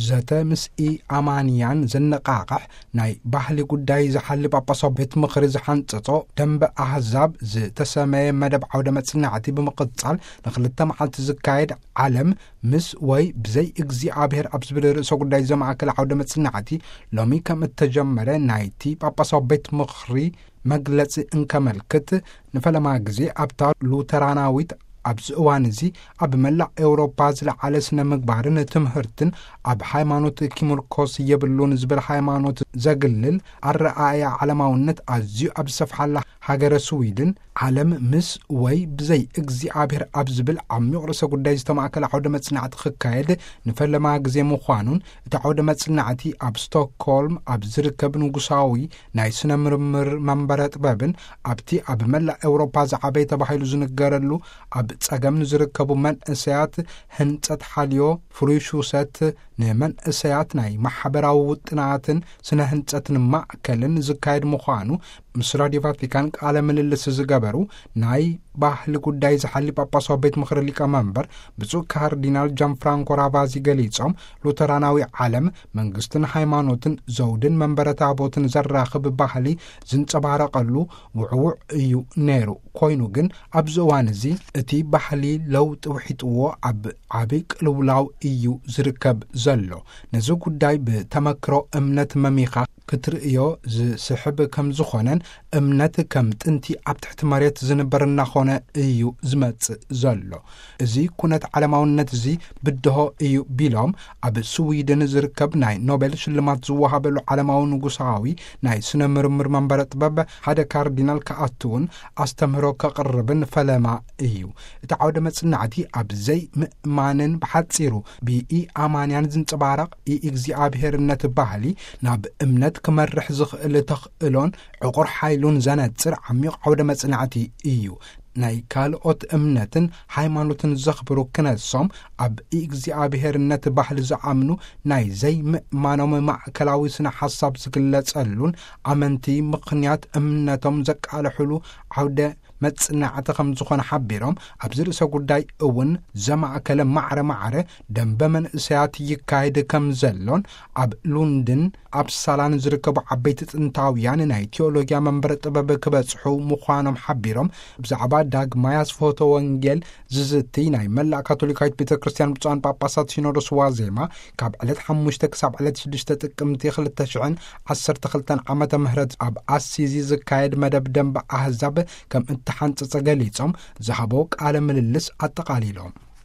ዘተ ምስ ኢኣማንያን ዘነቓቕሕ ናይ ባህሊ ጉዳይ ዝሓሊ ጳጳሳዊ ቤት ምኽሪ ዝሓንጸጾ ደንበ ኣህዛብ ዝተሰመየ መደብ ዓውደ መጽናዕቲ ብምቕጻል፣ ንኽልተ መዓልቲ ዝካየድ ዓለም ምስ ወይ ብዘይ እግዚኣብሔር ኣብ ዝብል ርእሰ ጉዳይ ዘማእከለ ዓውደ መጽናዕቲ ሎሚ ከም እተጀመረ ናይቲ ጳጳሳዊ ቤት ምኽሪ መግለጺ እንከመልክት፣ ንፈለማ ግዜ ኣብታ ሉተራናዊት ኣብዚ እዋን እዚ ኣብ መላእ ኤውሮፓ ዝለዓለ ስነ ምግባርን ትምህርትን ኣብ ሃይማኖት ኪምርኮስ የብሉን ዝብል ሃይማኖት ዘግልል ኣረኣእያ ዓለማውነት ኣዝዩ ኣብ ዝሰፍሓላ ሃገረ ስዊድን፣ ዓለም ምስ ወይ ብዘይ እግዚኣብሔር ኣብ ዝብል ዓሚቕ ርእሰ ጉዳይ ዝተማእከለ ዓውደ መጽናዕቲ ክካየድ ንፈለማ ግዜ ምዃኑን፣ እቲ ዓውደ መጽናዕቲ ኣብ ስቶክሆልም ኣብ ዝርከብ ንጉሳዊ ናይ ስነ ምርምር መንበረ ጥበብን ኣብቲ ኣብ መላእ ኤውሮፓ ዝዓበየ ተባሂሉ ዝንገረሉ ኣብ ጸገም ንዝርከቡ መንእሰያት ህንጸት ሓልዮ ፍሩይ ሹሰት ንመንእሰያት ናይ ማሕበራዊ ውጥናትን ስነ ህንጸትን ማእከልን ዝካየድ ምዃኑ ምስ ራድዮ ቫቲካን ቃለ ምልልስ ዝገበሩ ናይ ባህሊ ጉዳይ ዝሓሊ ጳጳሳዊ ቤት ምኽሪ ሊቀ መንበር ብፁዕ ካርዲናል ጃን ፍራንኮ ራቫዚ ገሊጾም፣ ሉተራናዊ ዓለም መንግስትን ሃይማኖትን ዘውድን መንበረ ታቦትን ዘራኽብ ባህሊ ዝንጸባረቐሉ ውዕውዕ እዩ ነይሩ። ኮይኑ ግን ኣብዚ እዋን እዚ እቲ ባህሊ ለውጢ ውሒጥዎ ኣብ ዓቢ ቅልውላው እዩ ዝርከብ ዘሎ። ነዚ ጉዳይ ብተመክሮ እምነት መሚኻ ክትርእዮ ዝስሕብ ከም ዝኾነን፣ እምነት ከም ጥንቲ ኣብ ትሕቲ መሬት ዝንበር እናኾነ እዩ ዝመጽእ ዘሎ። እዚ ኩነት ዓለማውነት እዚ ብድሆ እዩ ቢሎም፣ ኣብ ስዊድን ዝርከብ ናይ ኖቤል ሽልማት ዝወሃበሉ ዓለማዊ ንጉሳዊ ናይ ስነ ምርምር መንበረ ጥበብ ሓደ ካርዲናል ክኣትውን ኣስተምህሮ ከቕርብን ፈለማ እዩ። እቲ ዓውደ መጽናዕቲ ኣብ ዘይምእማንን ብሓጺሩ ብኢኣማንያን ዝንጸባረቕ ኢእግዚኣብሄርነት ባህሊ ናብ እምነት ክመርሕ ዝኽእል ተኽእሎን ዕቑር ሓይሉን ዘነጽር ዓሚቕ ዓውደ መጽናዕቲ እዩ። ናይ ካልኦት እምነትን ሃይማኖትን ዘኽብሩ ክነሶም፣ ኣብ እግዚኣብሄርነት ባህሊ ዝኣምኑ ናይ ዘይምእማኖም ማእከላዊ ስነ ሓሳብ ዝግለጸሉን ኣመንቲ ምኽንያት እምነቶም ዘቃልሕሉ ዓውደ መጽናዕቲ ከም ዝኾነ ሓቢሮም፣ ኣብዚ ርእሰ ጉዳይ እውን ዘማእከለ ማዕረ ማዕረ ደንበ መንእሰያት ይካየድ ከም ዘሎን ኣብ ሉንድን ኣፕሳላን ዝርከቡ ዓበይቲ ጥንታውያን ናይ ቴዎሎጊያ መንበረ ጥበብ ክበጽሑ ምዃኖም ሓቢሮም፣ ብዛዕባ ዳግማይ ኣስፍሆተ ወንጌል ዝዝቲ ናይ መላእ ካቶሊካዊት ቤተ ክርስቲያን ብፁዓን ጳጳሳት ሲኖዶስ ዋዜማ ካብ ዕለት ሓሙሽተ ክሳብ ዕለት ሽዱሽተ ጥቅምቲ ክልተ ሽሕን ዓሰርተ ክልተን ዓመተ ምህረት ኣብ ኣሲዚ ዝካየድ መደብ ደንበ ኣህዛብ ከም እተሓንጸጸ ገሊጾም ዝሃቦ ቃለ ምልልስ ኣጠቓሊሎም።